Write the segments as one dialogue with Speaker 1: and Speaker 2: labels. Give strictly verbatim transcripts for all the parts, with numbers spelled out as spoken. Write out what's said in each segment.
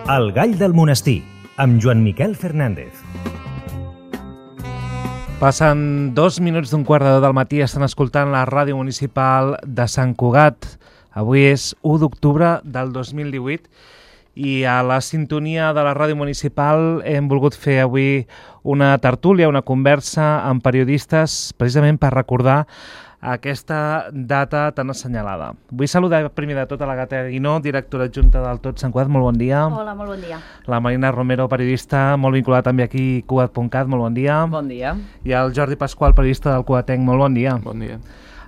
Speaker 1: El gall del monestir, amb Joan Miquel Fernández.
Speaker 2: Passen dos minuts d'un quart de deu del matí, estan escoltant la ràdio municipal de Sant Cugat. Avui és u d'octubre del dos mil divuit i a la sintonia de la ràdio municipal hem volgut fer avui una tertúlia, una conversa amb periodistes, precisament per recordar aquesta data tan assenyalada. Vull saludar primer de tot a la Gata Guinó, directora adjunta del Tot Sant Cugat, molt bon dia.
Speaker 3: Hola, molt bon dia.
Speaker 2: La Marina Romero, periodista, molt vinculada també aquí a Cugat punt cat, molt bon dia.
Speaker 4: Bon dia.
Speaker 2: I el Jordi Pasqual, periodista del Cugatenc, molt bon dia.
Speaker 5: Bon dia.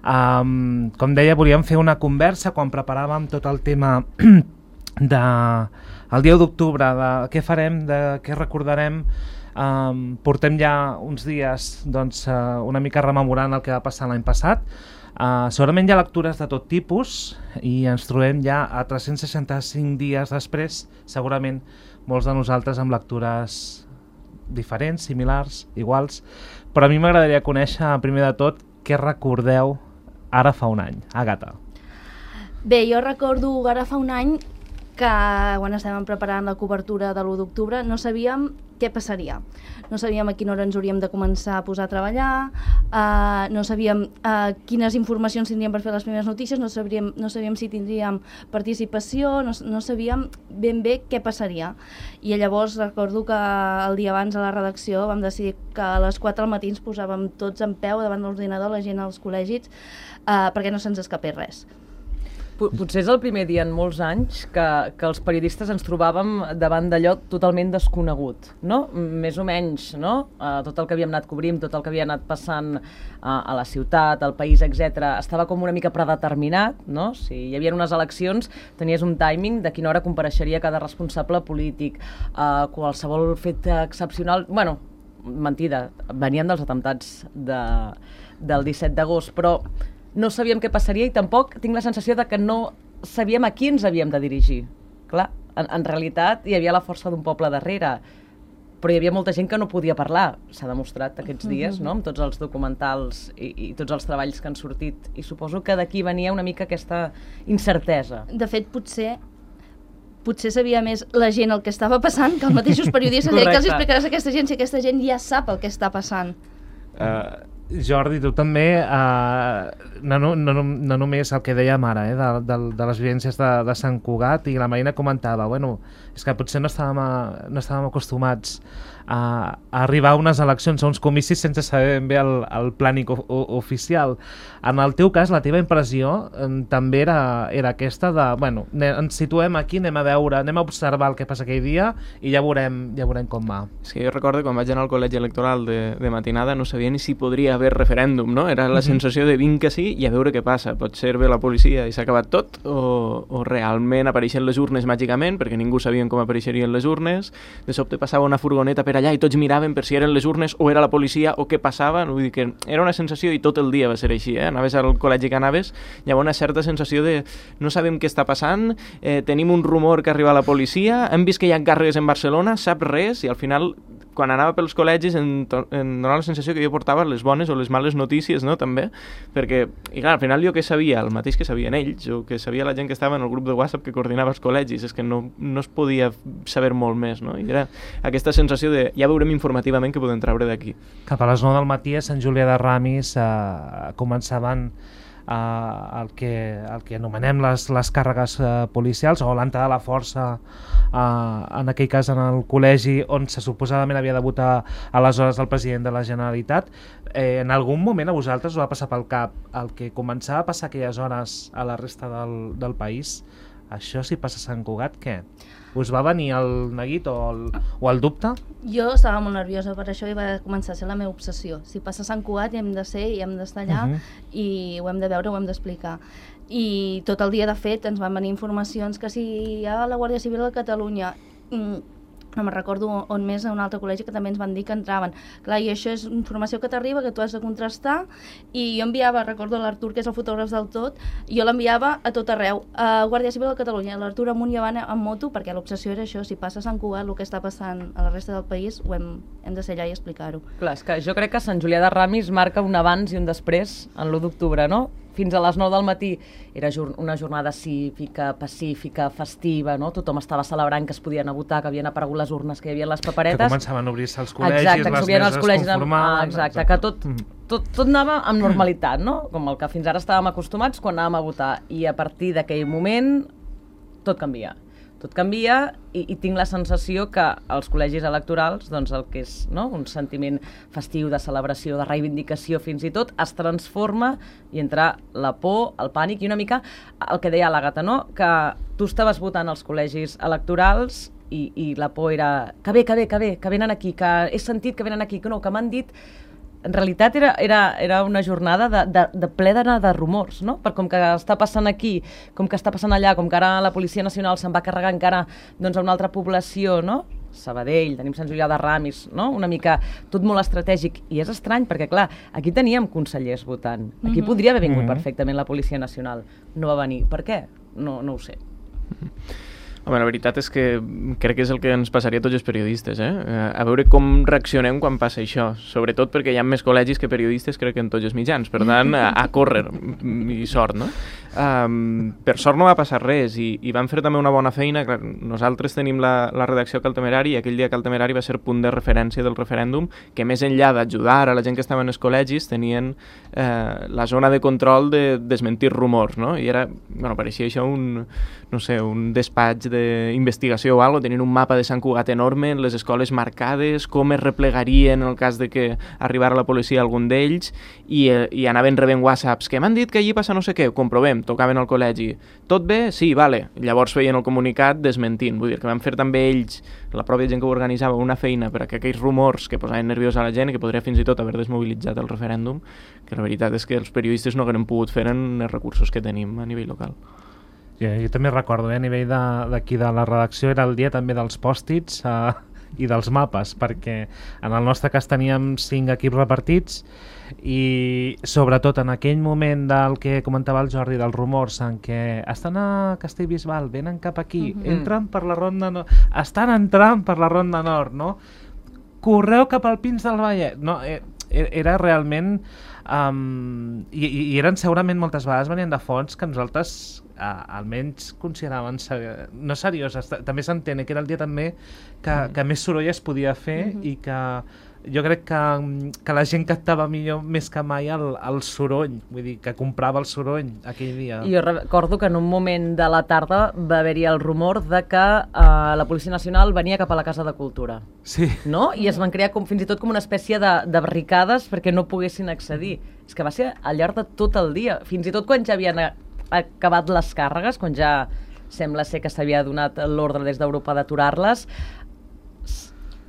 Speaker 2: Um, com deia, volíem fer una conversa quan preparàvem tot el tema de el dia u d'octubre, de què farem, de què recordarem. Um, portem ja uns dies doncs, uh, una mica rememorant el que va passar l'any passat. Uh, segurament hi ha lectures de tot tipus i ens trobem ja a tres-cents seixanta-cinc dies després, segurament molts de nosaltres amb lectures diferents, similars, iguals, però a mi m'agradaria conèixer primer de tot què recordeu ara fa un any. Àgata.
Speaker 3: Bé, jo recordo ara fa un any que quan estàvem preparant la cobertura de l'u d'octubre no sabíem què passaria. No sabíem a quina hora ens hauríem de començar a posar a treballar, uh, no sabíem uh, quines informacions tindríem per fer les primeres notícies, no sabíem, no sabíem si tindríem participació, no, no sabíem ben bé què passaria. I llavors recordo que el dia abans a la redacció vam decidir que a les quatre del matí ens posàvem tots en peu davant de l'ordinador, la gent als col·legis, uh, perquè no se'ns escapés res.
Speaker 4: Potser és el primer dia en molts anys que, que els periodistes ens trobàvem davant d'allò totalment desconegut, no? Més o menys, no? Uh, tot el que havíem anat cobrint, tot el que havia anat passant uh, a la ciutat, al país, etcètera, estava com una mica predeterminat, no? Si hi havia unes eleccions, tenies un timing de quina hora compareixeria cada responsable polític, uh, qualsevol fet excepcional. Bueno, mentida, venien dels atemptats de, del disset d'agost, però no sabíem què passaria i tampoc tinc la sensació de que no sabíem a qui ens havíem de dirigir. Clar, en, en realitat hi havia la força d'un poble darrere, però hi havia molta gent que no podia parlar. S'ha demostrat aquests dies, no?, amb tots els documentals i, i tots els treballs que han sortit. I suposo que d'aquí venia una mica aquesta incertesa.
Speaker 3: De fet, potser potser sabia més la gent el que estava passant que els mateixos periodistes. Que els explicaràs a aquesta gent si aquesta gent ja sap el que està passant.
Speaker 2: Uh... Jordi, tu també, eh, no, no, no, no només el que dèiem ara, eh, de, de, de les vivències de, de Sant Cugat, i la Marina comentava, bueno, és que potser no estàvem, a, no estàvem acostumats a, a arribar a unes eleccions, a uns comicis sense saber ben bé el, el plànic o, o, oficial. En el teu cas, la teva impressió eh, també era, era aquesta de, bueno, ens situem aquí, anem a veure, anem a observar el que passa aquell dia i ja veurem, ja veurem com va.
Speaker 5: És que jo recordo quan vaig anar al col·legi electoral de, de matinada no sabia ni si podria haver referèndum, no? Era la sensació de vinc que sí i a veure què passa. Pot ser bé la policia i s'ha acabat tot o, o realment apareixen les urnes màgicament perquè ningú sabien com apareixerien les urnes. De sobte passava una furgoneta per allà i tots miraven per si eren les urnes o era la policia o què passava. Vull dir que era una sensació i tot el dia va ser així, eh? Anaves al col·legi que anaves, hi havia una certa sensació de no sabem què està passant, eh, tenim un rumor que arriba la policia, hem vist que hi ha càrregues en Barcelona, sap res, i al final quan anava pels col·legis em, em donava la sensació que jo portava les bones o les males notícies, no?, també, perquè, i clar, al final jo què sabia? El mateix que sabien ells, o que sabia la gent que estava en el grup de WhatsApp que coordinava els col·legis, és que no, no es podia saber molt més, no? I era aquesta sensació de, ja veurem informativament què podem treure d'aquí.
Speaker 2: Cap a les nou del matí a Sant Julià de Ramis eh, començaven Uh, el, que, el que anomenem les, les càrregues uh, policials o l'entrada de la força, uh, en aquell cas en el col·legi on se suposadament havia de votar aleshores el president de la Generalitat. Eh, en algun moment a vosaltres us va passar pel cap el que començava a passar aquelles hores a la resta del, del país? Això si passa a Sant Cugat, què? Us va venir el neguit o el, o el dubte?
Speaker 3: Jo estava molt nerviosa per això i va començar a ser la meva obsessió. Si passa a Sant Cugat hi hem de ser i hem d'estar allà, uh-huh. i ho hem de veure, ho hem d'explicar. I tot el dia, de fet, ens van venir informacions que si hi ha la Guàrdia Civil a Catalunya, mm, no me'n recordo on més, a un altre col·legi que també ens van dir que entraven. Clar, i això és informació que t'arriba, que tu has de contrastar, i jo enviava, recordo l'Artur, que és el fotògraf del Tot, jo l'enviava a tot arreu, a Guàrdia Civil de Catalunya, l'Artur amunt i avant en moto, perquè l'obsessió era això, si passa a Sant Cugat, el que està passant a la resta del país, ho hem, hem de ser allà i explicar-ho.
Speaker 4: Clar, és que jo crec que Sant Julià de Ramis marca un abans i un després en l'u d'octubre, no? fins a les nou del matí era una jornada cívica, pacífica, festiva, no? Tothom estava celebrant que es podien anar a votar, que havien aparegut les urnes, que hi havia les paperetes.
Speaker 2: Que començaven a obrir-se els col·legis,
Speaker 4: exacte,
Speaker 2: les meses
Speaker 4: col·legis
Speaker 2: conformaven...
Speaker 4: Amb... Ah, exacte, exacte, que tot, tot, tot anava amb normalitat, no? Com el que fins ara estàvem acostumats quan anàvem a votar. I a partir d'aquell moment tot canvia. Tot canvia i, i tinc la sensació que els col·legis electorals, doncs el que és, no? Un sentiment festiu de celebració, de reivindicació fins i tot, es transforma i entra la por, el pànic i una mica el que deia l'Àgata, no? Que tu estaves votant als col·legis electorals i, i la por era que bé, que bé, que bé, que venen aquí, que he sentit que venen aquí, que no, que m'han dit... En realitat era, era, era una jornada de, de, de ple d'anar de rumors, no? Per com que està passant aquí, com que està passant allà, com que ara la Policia Nacional se'n va carregar encara doncs, a una altra població, no? Sabadell, tenim Sant Julià de Ramis, no? Una mica tot molt estratègic. I és estrany perquè, clar, aquí teníem consellers votant. Aquí mm-hmm. podria haver vingut mm-hmm. perfectament la Policia Nacional. No va venir. Per què? No, no ho sé.
Speaker 5: Home, la veritat és que crec que és el que ens passaria a tots els periodistes, eh? A veure com reaccionem quan passa això, sobretot perquè hi ha més col·legis que periodistes, crec que en tots els mitjans, per tant, a, a córrer, i sort, no? Um, per sort no va passar res, i, i van fer també una bona feina. Clar, nosaltres tenim la, la redacció Cal Temerari, i aquell dia Cal Temerari va ser punt de referència del referèndum, que més enllà d'ajudar a la gent que estava en els col·legis, tenien eh, la zona de control de desmentir rumors, no? I era, bueno, pareixia això un, no sé, un despatx d'investigació o alguna cosa, tenien un mapa de Sant Cugat enorme, les escoles marcades, com es replegarien en el cas de que arribara la policia a algun d'ells, i, eh, i anaven rebent whatsapps, que m'han dit que allí passa no sé què, ho comprovem, tocaven al col·legi. Tot bé? Sí, vale. Llavors feien el comunicat desmentint. Vull dir que van fer també ells, la pròpia gent que ho organitzava, una feina per a que aquells rumors que posaven nerviosa a la gent i que podria fins i tot haver desmobilitzat el referèndum, que la veritat és que els periodistes no haguem pogut fer en els recursos que tenim a nivell local.
Speaker 2: Jo, jo també recordo, eh, a nivell d'aquí de, de la redacció era el dia també dels pòstits eh, i dels mapes, perquè en el nostre cas teníem cinc equips repartits i sobretot en aquell moment del que comentava el Jordi, dels rumors en què estan a Castellbisbal, venen cap aquí, uh-huh. entren per la Ronda Nord, estan entrant per la Ronda Nord, no? Correu cap al Pins del Vallès, no? Era realment um, i, i eren segurament moltes vegades venien de fonts que nosaltres uh, almenys consideraven ser, no serioses, també s'entén que era el dia també que, mm. que més soroll es podia fer mm-hmm. i que jo crec que, que la gent captava millor més que mai el, el soroll, vull dir, que comprava el soroll aquell dia.
Speaker 4: I jo recordo que en un moment de la tarda va haver-hi el rumor de que uh, la Policia Nacional venia cap a la Casa de Cultura.
Speaker 2: Sí.
Speaker 4: No? I es van crear com, fins i tot com una espècie de, de barricades perquè no poguessin accedir. És que va ser al llarg de tot el dia, fins i tot quan ja havien acabat les càrregues, quan ja sembla ser que s'havia donat l'ordre des d'Europa d'aturar-les,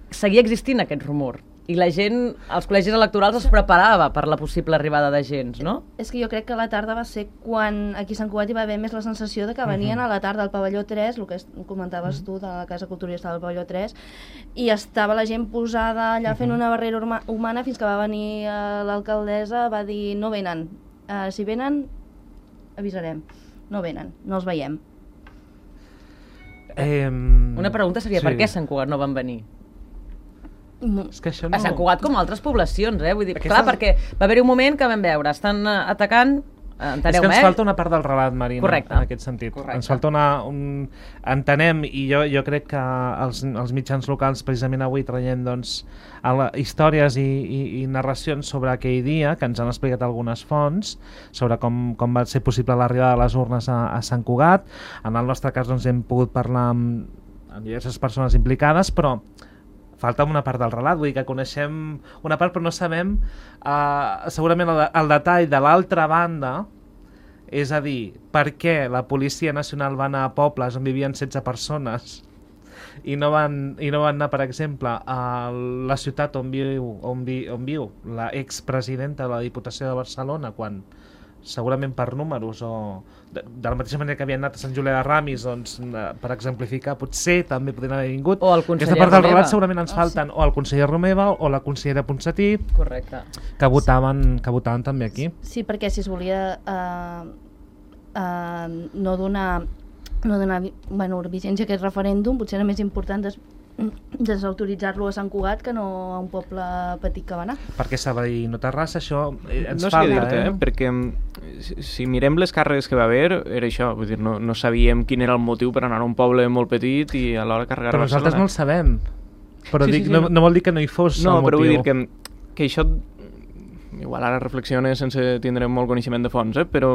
Speaker 4: seguia existint aquest rumor. I la gent, els col·legis electorals es preparava per la possible arribada de gens, no?
Speaker 3: És que jo crec que la tarda va ser quan aquí a Sant Cugat hi va haver més la sensació de que venien uh-huh. a la tarda al pavelló tres, el que comentaves uh-huh. tu de la Casa Culturista del pavelló tres, i estava la gent posada allà uh-huh. fent una barrera humana fins que va venir uh, l'alcaldessa, va dir no venen, uh, si venen avisarem, no venen, no els veiem.
Speaker 2: Eh,
Speaker 4: una pregunta seria sí. per què a Sant Cugat no van venir?
Speaker 2: És que això no...
Speaker 4: A Sant Cugat com a altres poblacions, eh? Vull dir, Aquestes... clar, perquè va haver-hi un moment que vam veure, estan atacant, enteneu-me,
Speaker 2: és que ens falta una part del relat, Marina,
Speaker 4: Correcte.
Speaker 2: En aquest sentit.
Speaker 4: Correcte.
Speaker 2: Ens falta una... Un... Entenem, i jo, jo crec que els, els mitjans locals, precisament avui, traient doncs, la, històries i, i, i narracions sobre aquell dia, que ens han explicat algunes fonts, sobre com, com va ser possible l'arribada de les urnes a, a Sant Cugat. En el nostre cas doncs, hem pogut parlar amb, amb diverses persones implicades, però falta una part del relat, vull dir que coneixem una part però no sabem uh, segurament el, el detall de l'altra banda, és a dir, per què la Policia Nacional va anar a pobles on vivien setze persones i no van, i no van anar, per exemple, a la ciutat on viu, on vi, on viu la expresidenta de la Diputació de Barcelona, quan segurament per números o de, de la mateixa manera que havien anat a Sant Julià de Ramis, doncs, per exemplificar, potser també podrien haver vingut.
Speaker 4: O el conseller
Speaker 2: Aquesta part del
Speaker 4: Romeva.
Speaker 2: relat segurament ens
Speaker 4: oh,
Speaker 2: falten
Speaker 4: sí.
Speaker 2: o el conseller Romeva o la consellera Ponsatí,
Speaker 4: Correcte.
Speaker 2: que votaven, que votaven també aquí.
Speaker 3: Sí, perquè si es volia uh, uh, no donar, no donar bueno, vigència a aquest referèndum, potser era més important des, desautoritzar-lo a Sant Cugat que no a un poble petit que va anar.
Speaker 2: Perquè Sabadell no Terrassa, això eh, ens
Speaker 5: no
Speaker 2: falta,
Speaker 5: sé dir-te,
Speaker 2: eh?
Speaker 5: eh? Perquè si, si mirem les càrregues que va haver, era això, vull dir, no, no sabíem quin era el motiu per anar a un poble molt petit i alhora carregar
Speaker 2: però
Speaker 5: a Barcelona.
Speaker 2: Però nosaltres no el sabem. Però
Speaker 5: sí,
Speaker 2: dic,
Speaker 5: sí, sí.
Speaker 2: No, no vol dir que no hi fos
Speaker 5: no,
Speaker 2: el motiu.
Speaker 5: No, però vull dir que, que això, igual ara reflexiones sense tindre molt coneixement de fons, eh? Però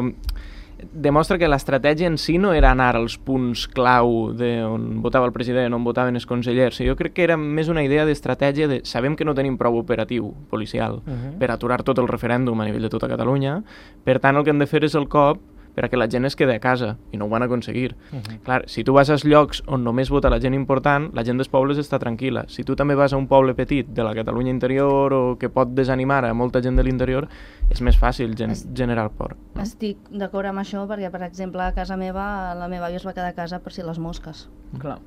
Speaker 5: demostra que l'estratègia en si no era anar als punts clau d'on votava el president, on votaven els consellers. Jo crec que era més una idea d'estratègia de sabem que no tenim prou operatiu policial uh-huh. per aturar tot el referèndum a nivell de tota Catalunya, per tant el que hem de fer és el cop perquè la gent es quedi a casa, i no ho van aconseguir. Uh-huh. Clar, si tu vas als llocs on només vota la gent important, la gent dels pobles està tranquil·la. Si tu també vas a un poble petit de la Catalunya interior o que pot desanimar a molta gent de l'interior, és més fàcil gen es... generar por. No?
Speaker 3: Estic d'acord amb això perquè, per exemple, a casa meva, la meva àvia es va quedar a casa per si les mosques.
Speaker 4: Clar.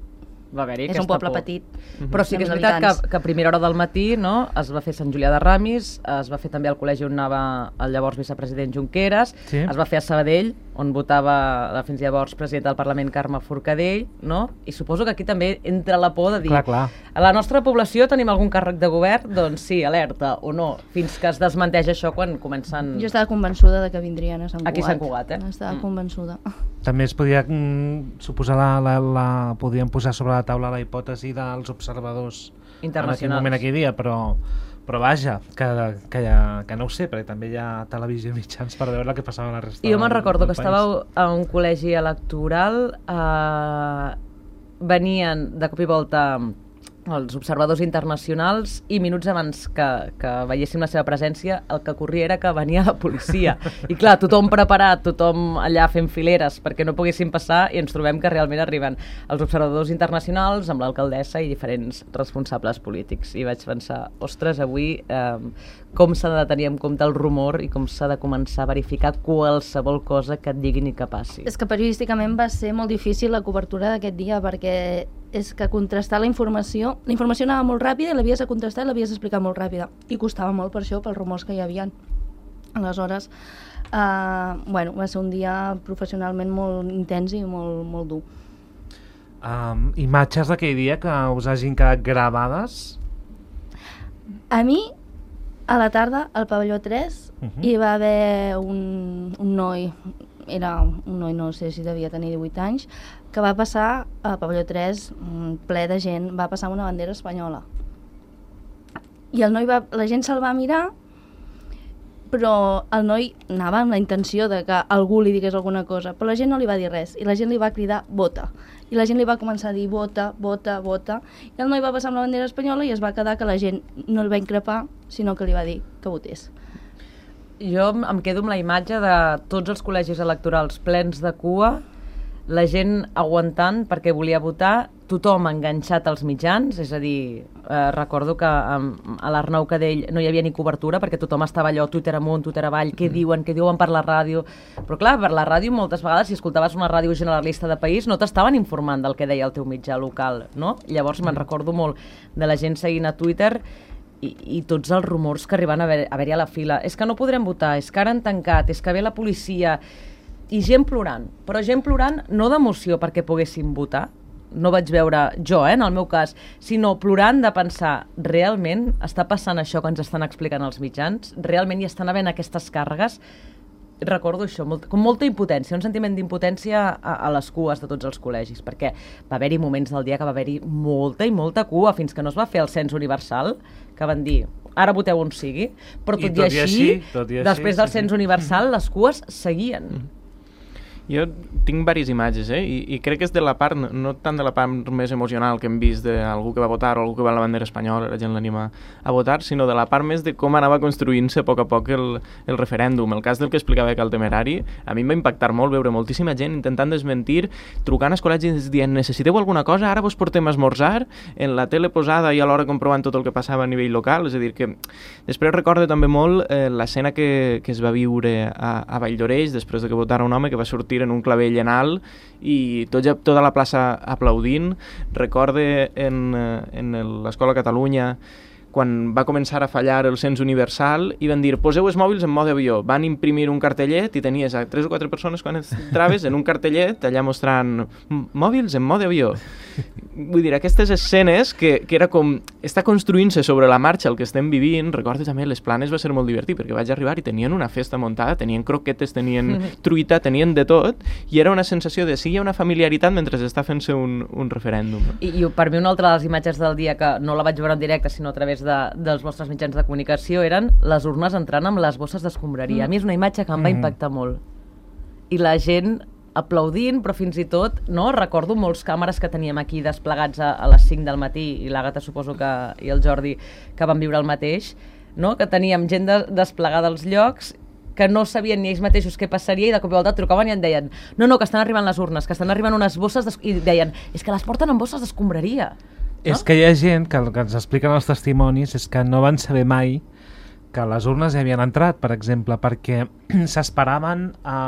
Speaker 4: Va haver-hi
Speaker 3: és un poble por. Petit.
Speaker 4: Uh-huh. Però sí que és veritat que, que a primera hora del matí, no, es va fer Sant Julià de Ramis, es va fer també al col·legi on anava el llavors vicepresident Junqueras, sí. Es va fer a Sabadell, on votava la fins llavors presidenta del Parlament Carme Forcadell, no? I suposo que aquí també entra la por de dir
Speaker 2: clar, clar.
Speaker 4: A la nostra població tenim algun càrrec de govern? Doncs sí, alerta, o no, fins que es desmenteix això quan comencen...
Speaker 3: Jo estava convençuda de que vindrien a Sant Cugat.
Speaker 4: Aquí a Sant Cugat, eh?
Speaker 3: Estava mm. convençuda.
Speaker 2: També es podia mm, suposar la, la, la, podien posar sobre la taula la hipòtesi dels observadors
Speaker 4: internacionals
Speaker 2: en aquell moment aquell dia, però, però vaja, que, que, ja, que no ho sé, perquè també hi ha televisió i mitjans per veure el que passava a la resta del país.
Speaker 4: Jo me'n recordo que estàveu a un col·legi electoral, eh, venien de cop i volta els observadors internacionals i minuts abans que, que veiéssim la seva presència el que corria era que venia la policia i clar, tothom preparat, tothom allà fent fileres perquè no poguessin passar i ens trobem que realment arriben els observadors internacionals amb l'alcaldessa i diferents responsables polítics i vaig pensar, ostres, avui eh, com s'ha de tenir en compte el rumor i com s'ha de començar a verificar qualsevol cosa que et diguin i que passi.
Speaker 3: És que periodísticament va ser molt difícil la cobertura d'aquest dia perquè és que contrastar la informació, la informació anava molt ràpida i l'havies de contrastar i l'havies d'explicar molt ràpida i costava molt per això, pels rumors que hi havia. Aleshores, eh, bueno, va ser un dia professionalment molt intens i molt, molt dur.
Speaker 2: Um, imatges d'aquell dia que us hagin quedat gravades?
Speaker 3: A mi, a la tarda, al pavelló tres, uh-huh. hi va haver un, un noi, era un noi, no sé si devia tenir divuit anys, que va passar al pavelló tres, ple de gent, va passar amb una bandera espanyola. I el noi va, la gent se'l va mirar, però el noi anava amb la intenció de que algú li digués alguna cosa, però la gent no li va dir res, i la gent li va cridar vota. I la gent li va començar a dir vota, vota, vota, i el noi va passar amb la bandera espanyola i es va quedar que la gent no el va increpar, sinó que li va dir que votés.
Speaker 4: Jo em quedo amb la imatge de tots els col·legis electorals plens de cua, la gent aguantant perquè volia votar, tothom enganxat als mitjans, és a dir, eh, recordo que um, a l'Arnau Cadell no hi havia ni cobertura perquè tothom estava allò, Twitter amunt, Twitter avall, què diuen, què diuen per la ràdio, però clar, per la ràdio moltes vegades si escoltaves una ràdio generalista de país no t'estaven informant del que deia el teu mitjà local, no? Llavors me'n recordo molt de la gent seguint a Twitter i, i tots els rumors que arriben a haver-hi haver a la fila, és que no podrem votar, és que ara han tancat, és que ve la policia, i gent plorant, però gent plorant no d'emoció perquè poguessin votar, no vaig veure jo, eh, en el meu cas, sinó plorant de pensar, realment està passant això que ens estan explicant els mitjans? Realment hi estan havent aquestes càrregues? Recordo això, molt, com molta impotència, un sentiment d'impotència a, a les cues de tots els col·legis, perquè va haver-hi moments del dia que va haver-hi molta i molta cua, fins que no es va fer el cens universal, que van dir, ara voteu on sigui, però tot i, tot i així, tot i així després del cens universal, les cues seguien. Mm.
Speaker 5: Jo tinc diverses imatges, eh? I, i crec que és de la part, no, no tant de la part més emocional que hem vist d'algú que va votar o algú que va a la bandera espanyola, la gent l'anima a votar, sinó de la part més de com anava construint-se a poc a poc el, el referèndum. El cas del que explicava que el Temerari, a mi em va impactar molt veure moltíssima gent intentant desmentir, trucant als col·legis dient necessiteu alguna cosa, ara vos portem a esmorzar, en la tele posada i alhora comprovant tot el que passava a nivell local, és a dir que després recordo també molt eh, l'escena que, que es va viure a, a Valldoreix després de que votara un home que va sortir en un clavell en alt i tot, tota la plaça aplaudint. Recorde en, en l'Escola Catalunya quan va començar a fallar el cens universal i van dir, poseu els mòbils en mode avió. Van imprimir un cartellet i tenies a tres o quatre persones quan entraves en un cartellet allà mostrant mòbils en mode avió. Vull dir, aquestes escenes que, que era com, està construint-se sobre la marxa el que estem vivint. Recordo també les Planes va ser molt divertit perquè vaig arribar i tenien una festa muntada, tenien croquetes, tenien truita, tenien de tot, i era una sensació de sí, hi ha una familiaritat mentre està fent-se un, un referèndum. No?
Speaker 4: I, I per mi una altra de les imatges del dia, que no la vaig veure en directe sinó a través de, dels vostres mitjans de comunicació, eren les urnes entrant amb les bosses d'escombraria. Mm. A mi és una imatge que em va mm. impactar molt. I la gent aplaudint, però fins i tot, no? Recordo molts càmeres que teníem aquí desplegats a, a les cinc del matí, i l'Àgata suposo que, i el Jordi, que van viure el mateix, no? Que teníem gent de, desplegada als llocs que no sabien ni ells mateixos què passaria, i de cop i volta trucaven i en deien no, no, que estan arribant les urnes, que estan arribant unes bosses, i deien, és que les porten en bosses d'escombraria. No?
Speaker 2: És que hi ha gent que el que ens expliquen els testimonis és que no van saber mai que les urnes hi havien entrat, per exemple, perquè s'esperaven a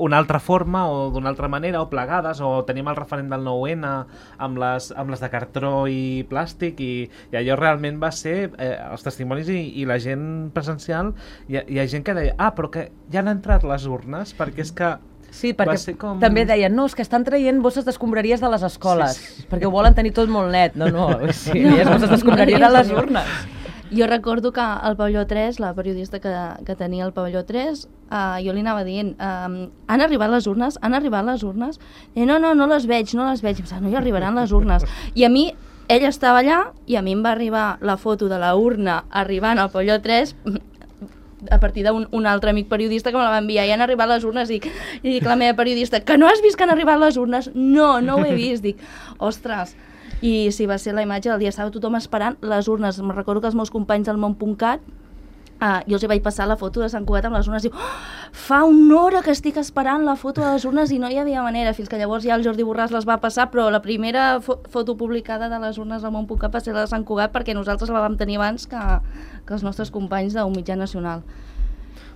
Speaker 2: una altra forma o d'una altra manera, o plegades, o tenim el referent del nou ene amb les, amb les de cartró i plàstic, i, i allò realment va ser, eh, els testimonis i, i la gent presencial, hi ha, hi ha gent que deia, ah, però que ja han entrat les urnes, perquè és que
Speaker 4: sí, perquè com... també deien, no, és que estan traient bosses d'escombraries de les escoles, sí, sí. perquè ho volen tenir tot molt net. No, no, sí, no, les bosses d'escombraria de les urnes.
Speaker 3: Jo recordo que al pavelló tres, la periodista que, que tenia el pavelló tres, uh, jo li anava dient, uh, han arribat les urnes? Han arribat les urnes? I no, no, no les veig, no les veig. Em sembla, no hi arribaran les urnes. I a mi, ell estava allà, i a mi em va arribar la foto de la urna arribant al pavelló tres, a partir d'un un altre amic periodista que me la va enviar, i han arribat les urnes, i, i dic la meva periodista, que no has vist que han arribat les urnes? No, no ho he vist. Dic, ostres, i sí, va ser la imatge del dia, estava tothom esperant les urnes. Me'n recordo que els meus companys del món punt cat, uh, jo els hi vaig passar la foto de Sant Cugat amb les urnes, i diu, oh, fa una hora que estic esperant la foto de les urnes i no hi havia manera, fins que llavors ja el Jordi Borràs les va passar, però la primera fo foto publicada de les urnes del món punt cat va ser la de Sant Cugat, perquè nosaltres la vam tenir abans que, que els nostres companys d'un mitjà nacional.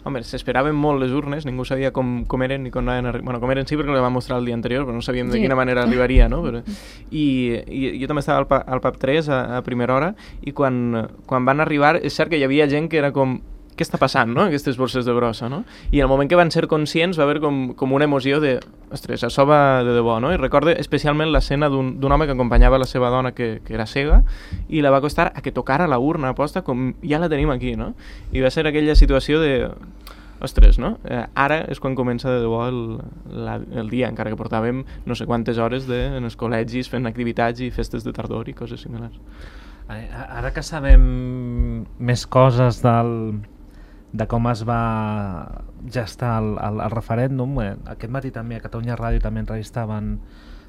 Speaker 5: Home, s'esperaven molt les urnes, ningú sabia com, com eren ni com anaven a... Bueno, com eren sí, perquè les va mostrar el dia anterior, però no sabíem de sí. quina manera arribaria, no? Però... I, I jo també estava al, pa, al pub tres a, a primera hora, i quan, quan van arribar, és cert que hi havia gent que era com... Què està passant, no?, aquestes borses de brossa, no? I al moment que van ser conscients va haver com, com una emoció de... Ostres, això va de debò, no? I recorde especialment l'escena d'un home que acompanyava la seva dona que, que era cega, i la va costar a que tocara la urna aposta com ja la tenim aquí, no? I va ser aquella situació de... Ostres, no? Eh, ara és quan comença de debò el, la, el dia, encara que portàvem no sé quantes hores de, en els col·legis fent activitats i festes de tardor i coses similars.
Speaker 2: Ara que sabem més coses del... de com es va gestar el, el, el referèndum, eh, aquest matí també a Catalunya Ràdio també entrevistaven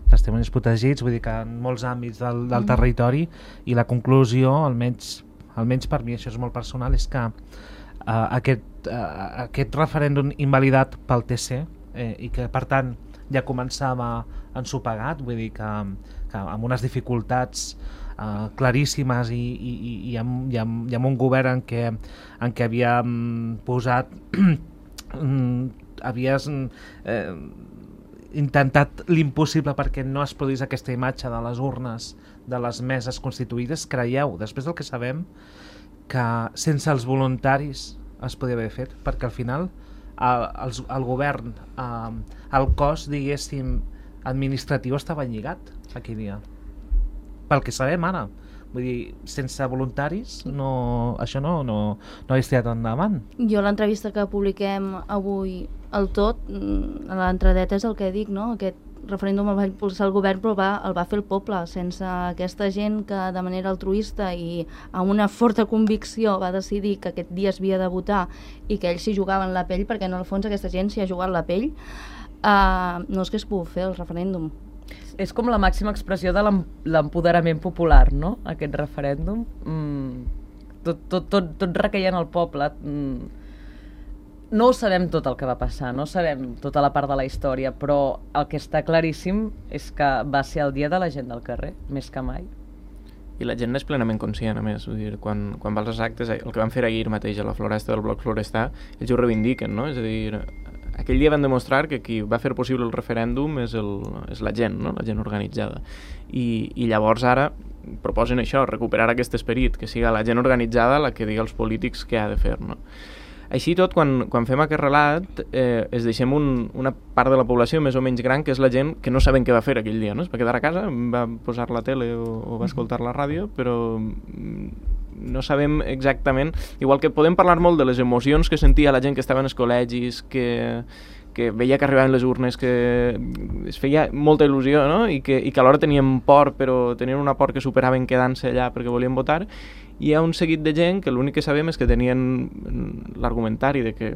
Speaker 2: testimonis protegits, vull dir que en molts àmbits del, del territori, i la conclusió, almenys, almenys per mi, això és molt personal, és que uh, aquest, uh, aquest referèndum invalidat pel T C, eh, i que per tant ja començava ensopegat, vull dir que, que amb unes dificultats Uh, claríssimes i, i, i, amb, i, amb, i amb un govern en què, en què havíem posat havies eh, intentat l'impossible perquè no es produís aquesta imatge de les urnes de les meses constituïdes. Creieu, després del que sabem, que sense els voluntaris es podia haver fet, perquè al final el, el, el govern, eh, el cos, diguéssim, administratiu estava lligat aquell dia. Pel que sabem ara, vull dir, sense voluntaris no, això no, no, no hauria estirat endavant.
Speaker 3: Jo l'entrevista que publiquem avui al Tot, a l'entradeta és el que dic, no? Aquest referèndum el va impulsar el govern, però va, el va fer el poble. Sense aquesta gent que de manera altruista i amb una forta convicció va decidir que aquest dia es havia de votar i que ells s'hi jugaven la pell, perquè en el fons aquesta gent s'hi ha jugat la pell, uh, no és que es pugui fer el referèndum.
Speaker 4: És com la màxima expressió de l'empoderament popular, no?, aquest referèndum. Mm, tot, tot, tot, tot requeia en el poble. Mm, no ho sabem tot el que va passar, no sabem tota la part de la història, però el que està claríssim és que va ser el dia de la gent del carrer, més que mai.
Speaker 5: I la gent n'és plenament conscient, a més. Vull dir, quan, quan va als actes, el que van fer ahir mateix a la floresta del Bloc Florestà, ells ho reivindiquen, no? És a dir, aquell dia van demostrar que qui va fer possible el referèndum és, el, és la gent, no? La gent organitzada. I, I llavors ara proposen això, recuperar aquest esperit, que siga la gent organitzada la que digui als polítics què ha de fer, no? Així tot, quan, quan fem aquest relat, eh, es deixem un, una part de la població més o menys gran, que és la gent que no saben què va fer aquell dia, no? Es va quedar a casa, va posar la tele o, o va escoltar la ràdio, però no sabem exactament... Igual que podem parlar molt de les emocions que sentia la gent que estava en els col·legis, que, que veia que arribaven les urnes, que es feia molta il·lusió, no? I que, i que alhora tenien por, però tenien una por que superaven quedant-se allà perquè volien votar. Hi ha un seguit de gent que l'únic que sabem és que tenien l'argumentari de que,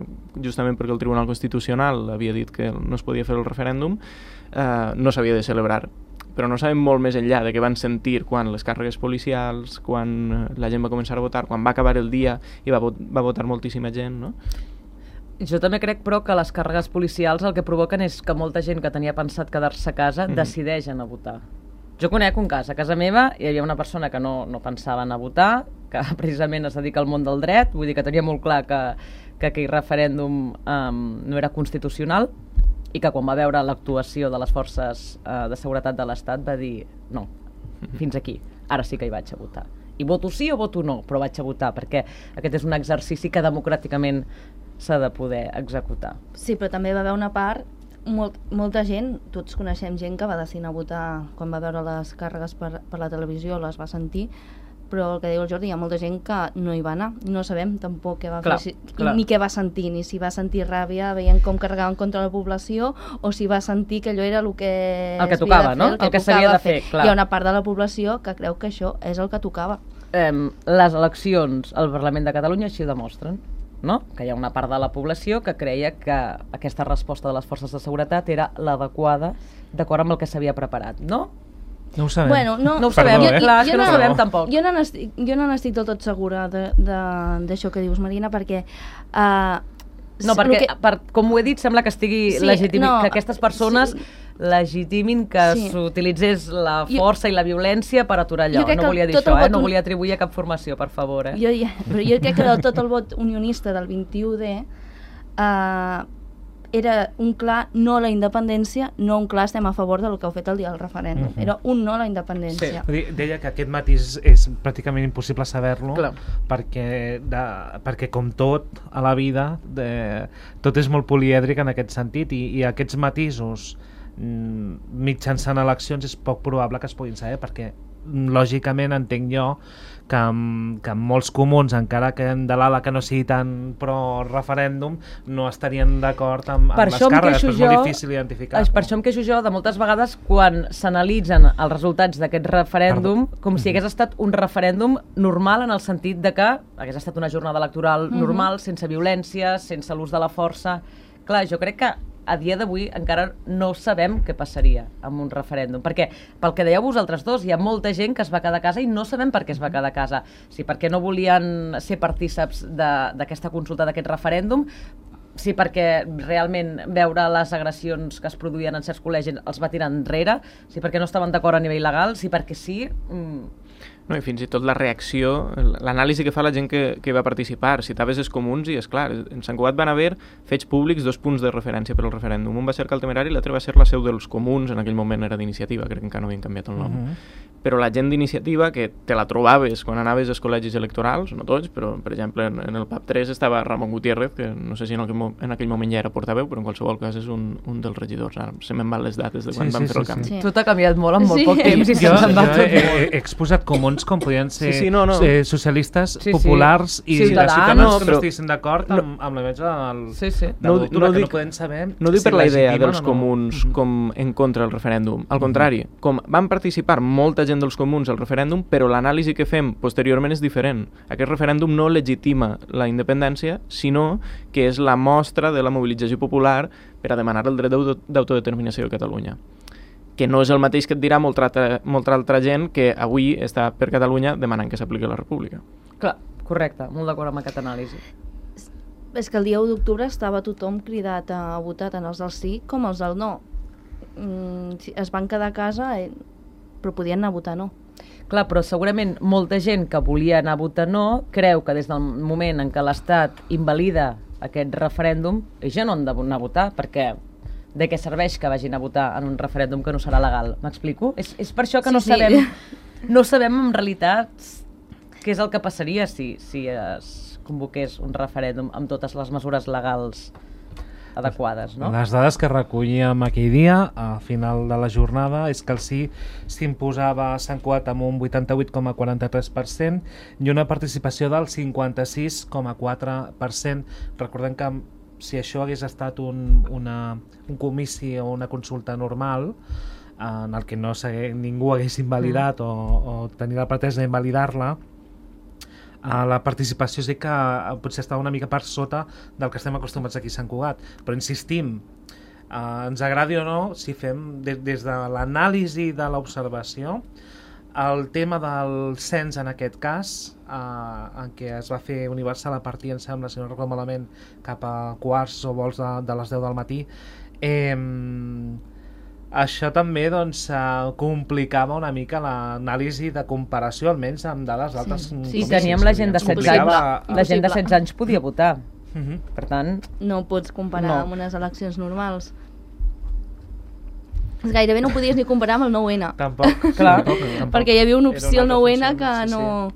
Speaker 5: justament perquè el Tribunal Constitucional havia dit que no es podia fer el referèndum, eh, no s'havia de celebrar. Però no sabem molt més enllà de què van sentir quan les càrregues policials, quan la gent va començar a votar, quan va acabar el dia i va, va votar moltíssima gent, no?
Speaker 4: Jo també crec, però, que les càrregues policials el que provoquen és que molta gent que tenia pensat quedar-se a casa mm-hmm. decideix anar a votar. Jo conec un cas, a casa meva hi havia una persona que no, no pensava anar a votar, que precisament es dedica al món del dret, vull dir que tenia molt clar que, que aquell referèndum um, no era constitucional, i que quan va veure l'actuació de les forces uh, de seguretat de l'Estat va dir no, fins aquí, ara sí que hi vaig a votar. I voto sí o voto no, però vaig a votar, perquè aquest és un exercici que democràticament s'ha de poder executar.
Speaker 3: Sí, però també va haver una part, molt, molta gent, tots coneixem gent que va decidir a votar quan va veure les càrregues per, per la televisió, les va sentir, però el que diu el Jordi, hi ha molta gent que no hi va anar, no sabem tampoc què va
Speaker 4: clar,
Speaker 3: fer,
Speaker 4: clar.
Speaker 3: ni què va sentir, ni si va sentir ràbia veient com carregaven contra la població, o si va sentir que allò era el que
Speaker 4: el que tocava, no?
Speaker 3: El que,
Speaker 4: el que s'havia de fer, clar.
Speaker 3: Hi ha una part de la població que creu que això és el que tocava.
Speaker 4: Um, les eleccions al Parlament de Catalunya així ho demostren, no? Que hi ha una part de la població que creia que aquesta resposta de les forces de seguretat era l'adequada d'acord amb el que s'havia preparat, no?
Speaker 2: No ho sabem.
Speaker 3: Bueno, no,
Speaker 4: no ho sabem,
Speaker 2: Perdó, eh?
Speaker 4: clar, és
Speaker 3: jo
Speaker 4: que no ho
Speaker 3: no-
Speaker 4: sabem tampoc.
Speaker 3: Jo no n'estic, jo no n'estic del tot segura de- de- d'això que dius, Marina, perquè... Uh,
Speaker 4: No, perquè, que... per, com ho he dit, sembla que estigui
Speaker 3: Sí,
Speaker 4: legitimi...
Speaker 3: no,
Speaker 4: que aquestes persones
Speaker 3: sí.
Speaker 4: legitimin que
Speaker 3: Sí.
Speaker 4: s'utilitzés la
Speaker 3: Jo-
Speaker 4: força i la violència per aturar allò.
Speaker 3: Jo crec
Speaker 4: No
Speaker 3: que
Speaker 4: volia dir
Speaker 3: tot
Speaker 4: això,
Speaker 3: el
Speaker 4: eh?
Speaker 3: vot
Speaker 4: No
Speaker 3: un-
Speaker 4: volia atribuir a cap formació, per favor, eh?
Speaker 3: Jo, ja, però jo crec que del tot el vot unionista del vint-i-u D uh, era un clar no a la independència, no un clar estem a favor del que heu fet el dia del referèndum.
Speaker 2: Mhm.
Speaker 3: Era un no a la independència.
Speaker 2: Vull dir, deia que aquest matís és pràcticament impossible saber-lo
Speaker 4: Clar.
Speaker 2: perquè, de, perquè com tot a la vida de, tot és molt polièdric en aquest sentit i, i aquests matisos mm, mitjançant eleccions és poc probable que es puguin saber perquè mm, lògicament entenc jo que amb, que amb molts comuns, encara que de l'ala que no sigui tan pro referèndum, no estarien d'acord amb, amb
Speaker 4: Per
Speaker 2: les
Speaker 4: això em
Speaker 2: càrregues,
Speaker 4: queixo
Speaker 2: però és
Speaker 4: jo-
Speaker 2: molt difícil identificar.
Speaker 4: És per això em queixo jo de moltes vegades quan s'analitzen els resultats d'aquest referèndum
Speaker 2: Perdó.
Speaker 4: com si hagués estat un referèndum normal en el sentit de que hagués estat una jornada electoral
Speaker 3: Mhm.
Speaker 4: normal, sense violència, sense l'ús de la força. Clar, jo crec que a dia d'avui encara no sabem què passaria amb un referèndum, perquè pel que dèieu vosaltres dos, hi ha molta gent que es va quedar a casa i no sabem per què es va quedar a casa. Si perquè no volien ser partíceps de- d'aquesta consulta, d'aquest referèndum, sí perquè realment veure les agressions que es produïen en certs col·legis els va tirar enrere, sí perquè no estaven d'acord a nivell legal, sí perquè sí... Mm,
Speaker 5: No, i fins i tot la reacció, l'anàlisi que fa la gent que, que va participar, citaves els comuns i, és clar, en Sant Cugat van haver fets públics dos punts de referència per al referèndum. Un va ser el Temerari i l'altre va ser la seu dels comuns, en aquell moment era d'Iniciativa, crec que encara no havien canviat el nom.
Speaker 2: Mhm.
Speaker 5: Però la gent d'Iniciativa, que te la trobaves quan anaves als col·legis electorals, no tots, però per exemple en, en el P A P tres estava Ramon Gutiérrez, que no sé si en aquell, mo- en aquell moment ja era portaveu, però en qualsevol cas és un, un dels regidors. Ara se me'n van les dates de quan
Speaker 2: Sí,
Speaker 5: van
Speaker 2: sí,
Speaker 5: fer el
Speaker 2: sí,
Speaker 5: canvi.
Speaker 2: sí.
Speaker 3: Sí.
Speaker 4: tot ha canviat molt en molt
Speaker 3: Sí.
Speaker 4: poc temps i
Speaker 2: jo,
Speaker 4: se'ns en va
Speaker 2: jo
Speaker 4: tot
Speaker 2: he,
Speaker 4: molt.
Speaker 2: he exposat comuns com podien ser
Speaker 5: Sí, sí, no, no.
Speaker 2: Eh, socialistes,
Speaker 4: Sí, sí.
Speaker 2: populars i
Speaker 4: Ciutadans.
Speaker 2: ciutadans
Speaker 5: No,
Speaker 2: que
Speaker 5: però-
Speaker 2: no estiguessin d'acord amb, amb la mesa del,
Speaker 4: Sí, sí.
Speaker 2: de
Speaker 5: No di-
Speaker 2: l'octubre,
Speaker 5: no
Speaker 2: que no
Speaker 5: dic-
Speaker 2: podem saber
Speaker 5: No dic
Speaker 2: si
Speaker 5: per la idea
Speaker 2: legitimen
Speaker 5: dels
Speaker 2: o no.
Speaker 5: comuns
Speaker 2: Mhm.
Speaker 5: com en contra del referèndum. Al contrari, com van participar molta gent dels comuns al referèndum, però l'anàlisi que fem posteriorment és diferent. Aquest referèndum no legitima la independència, sinó que és la mostra de la mobilització popular per a demanar el dret d'auto- d'autodeterminació de Catalunya. Que no és el mateix que et dirà molta altra, molta altra gent que avui està per Catalunya demanant que s'apliqui la república.
Speaker 4: Clar, correcte, molt d'acord amb aquesta anàlisi.
Speaker 3: És que el dia u d'octubre estava tothom cridat a votar, tant els del sí com els del no. Mm, si es van quedar a casa, eh, però podien anar a votar no.
Speaker 4: Clar, però segurament molta gent que volia anar a votar no creu que des del moment en què l'Estat invalida aquest referèndum, ells ja no han d'anar a votar, perquè de què serveix que vagin a votar en un referèndum que no serà legal? M'explico? És, és per això que
Speaker 3: Sí,
Speaker 4: no
Speaker 3: sí.
Speaker 4: sabem no sabem en realitat què és el que passaria si, si es convoqués un referèndum amb totes les mesures legals adequades, no?
Speaker 2: Les dades que recollíem aquell dia, al final de la jornada, és que el sí s'imposava a Sant Cugat amb un vuitanta-vuit coma quaranta-tres per cent i una participació del cinquanta-sis coma quatre per cent. Recordem que si això hagués estat un, una, un comici o una consulta normal, en el que no ningú hagués invalidat mm. o, o tenia la pretesa d'invalidar-la, Uh, la participació sí que uh, potser estava una mica per sota del que estem acostumats aquí a Sant Cugat, però insistim, uh, ens agradi o no, si fem de, des de l'anàlisi de l'observació, el tema del cens en aquest cas, uh, en què es va fer universal a partir, em sembla, si no recordo malament, cap a quarts o vols de, de les deu del matí, eh, això també doncs, uh, complicava una mica l'anàlisi de comparació, almenys amb dades d'altres
Speaker 3: Sí,
Speaker 2: comicis.
Speaker 3: sí,
Speaker 4: I teníem la gent de setze anys,
Speaker 3: Complicava-
Speaker 4: la gent de setze anys podia votar.
Speaker 2: Uh -huh.
Speaker 4: Per tant,
Speaker 3: No ho pots comparar
Speaker 4: No.
Speaker 3: amb unes eleccions normals. Gairebé no ho podies ni comparar amb el nou ene.
Speaker 2: Tampoc,
Speaker 4: Clar.
Speaker 2: tampoc, tampoc.
Speaker 3: Perquè hi havia una
Speaker 2: Era
Speaker 3: opció al
Speaker 2: altra
Speaker 3: nou ene
Speaker 2: funció,
Speaker 3: que
Speaker 2: sí,
Speaker 3: no...